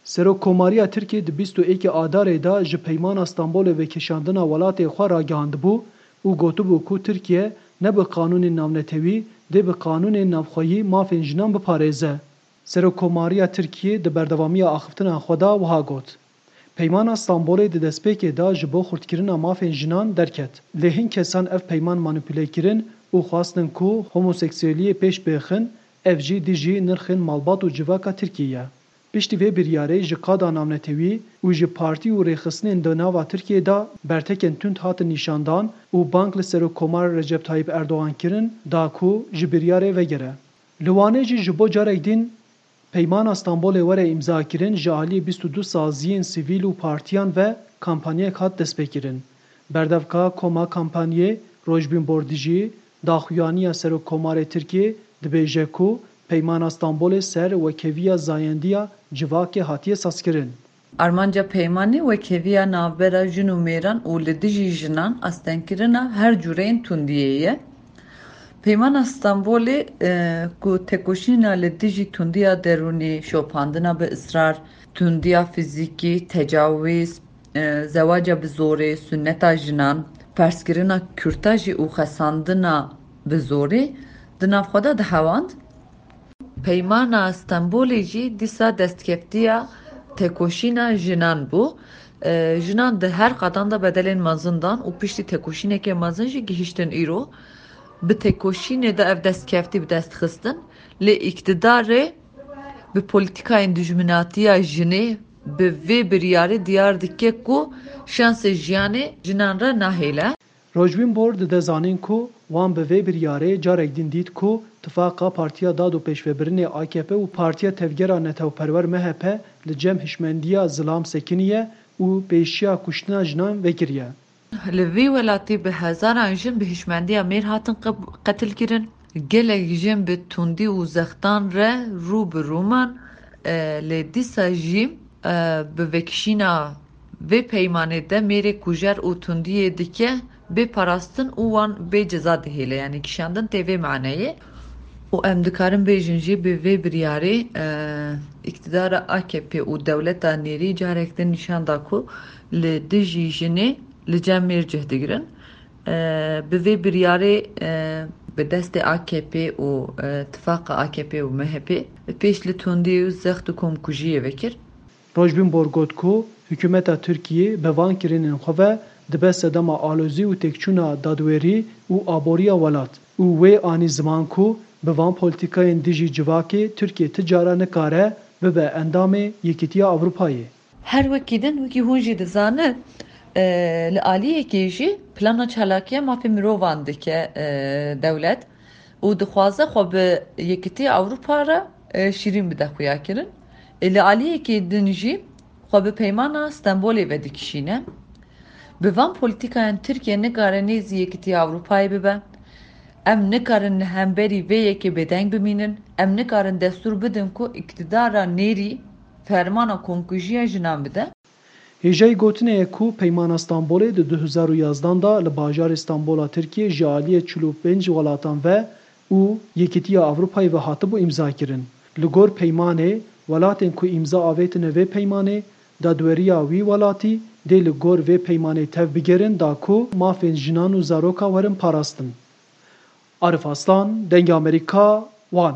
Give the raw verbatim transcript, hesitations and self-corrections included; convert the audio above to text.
Serokkomariya Tirkiyê di bîst û êkê Adarê de ji Peymana Stenbolê vekeşandina welatê xwe ragihandibû û gotibû ku Tirkiye ne bi qanûnên navnetewî, dê bi qanûnên navxweyî mafên jinan biparêze. Serokkomariya Tirkiyê di berdewamiya axiftina xwe de wiha got, Peymana Stenbolê di destpêkê de ji bo xurtkirina mafên jinan derket. Lê hin kesan ev peyman manîpule kirin û xwestin ku homoseksueliyê pêş bêxin, ev jî dijî nirxên malbat û civaka Tirkiyê ye. Piştî vê biryarê ji qada navnetewî û ji partî û rêxistinên di nava Tirkiyê de bertekên tund hatin nîşandan û bang li Serokkomar Recep Tayyip Erdogan kirin da ku ji biryarê vegere. Li Wanê jî ji bo carek din Peymana Stenbolê were îmzakirin ji aliyê bîst û du saziyên sivîl û partiyan ve kampanyayek hat destpêkirin. Berdevka koma kampanyê Rojbîn Bordijî, daxuyaniya Serokkomarê Tirkiyê, dibêje ku Peymana Stenbolê ser wekeviya zayendiya civakê hatiye sazkirin. Armanca peymanê wekeviya navbera jin û mêran û li dijî jinan astengkirina her cûreyên tundiyê ye. Peymana Stenbolê, e, ku tekoşîna li dijî tundiya derûnî, şopandina bi israr, tundiya fizîkî, tecawîz, e, zewaca bi zorê, sunneta jinan, perskirina kurta jî û xesandina bi zorê di nav xwe de dihewand. Peymana Stenbolê jî dîsa destkeftiya tekoşîna jinan bû. E, jinan di her qadan de bedelên mezin dan û piştî tekoşîneke mezin jî gihîştin îro. Bi tekoşînê de ev destkeftî bi dest xistin. Lê îktidarê bi polîtîkayên dijminatiya jinê bi vê biryarê diyar dike ku şansê jiyanê jinan re nahêle. Rojbîn Bor dide zanîn ku wan bi vê biryarê carek din dît ku tifaqa Partiya Dad û Pêşvebirinê A K P û Partiya Tevgera Netewperwer M H P li cem hişmendiya zilam sekiniye û pêşiya kuştina jinan vekiriye. Li vî welatî bi hezaran jin bi hişmendiya mêr hatin qe-, qetilkirin. Gelek jin bi tundî û zextan re rû bi rû man, e, lê dîsa jî, e, bi vekişîna vê peymanê de mêrê kujer û tundiyê dike bê parastin û wan bê ceza dihêle, yanî kişandin tê vê maneyê. Û em dikarin bêjin jî bi vê biryarê, e, îktidara A K P û dewleta nêrî carek din nîşan da ku li dijî jinê li cem mêr cih digirin. E, bi vê biryarê, e, bi destê A K P û, e, tifaqa A K P û M H P pêş li tundî û zext û komkujiyê vekir. Rojbîn Bor got ku hikûmeta Tirkiyê bi van kirinên xwe ve dibe sedema alozî û têkçûna dadwerî û aboriya welat û wê anî ziman ku bi van polîtîkayên dijî civakê Tirkiye ti cara nikare bibe endamê Yekîtiya Ewropayê. Her wekî din, wekî hûn jî dizanin, e, li aliyekê jî plana çalakiya mafê mirovan dike, e, dewlet û dixwaze xwe bi Yekîtiya Ewropa re, e, şîrîn bide xuyakirin. E, li aliyekê din jî xwe bi Peymana Stenbolê vedikişîne. Bi van polîtîkayên Tirkiye nikare nêzî Yekîtiya Ewropayê bibe. Em nikarin li hemberî vê yekê bêdeng bimînin. Em nikarin destûr bidin ku îktidara nêrî fermana komkujiya jinan bide. Hêjayî gotinê ye ku Peymana Stenbolê di du hezar û yazdan de li bajarê Stenbola Tirkiyê ji aliyê çil û pênc welatan ve û Yekîtiya Ewropayê ve hatibû îmzakirin. Li gor peymanê, welatên ku îmza avêtine vê peymanê, dadweriya wî welatî dê li gor vê peymanê tev bigerin da ku mafên jinan û zaroka werin parastin. Arif Aslan, Dengê Amerîka, Wan.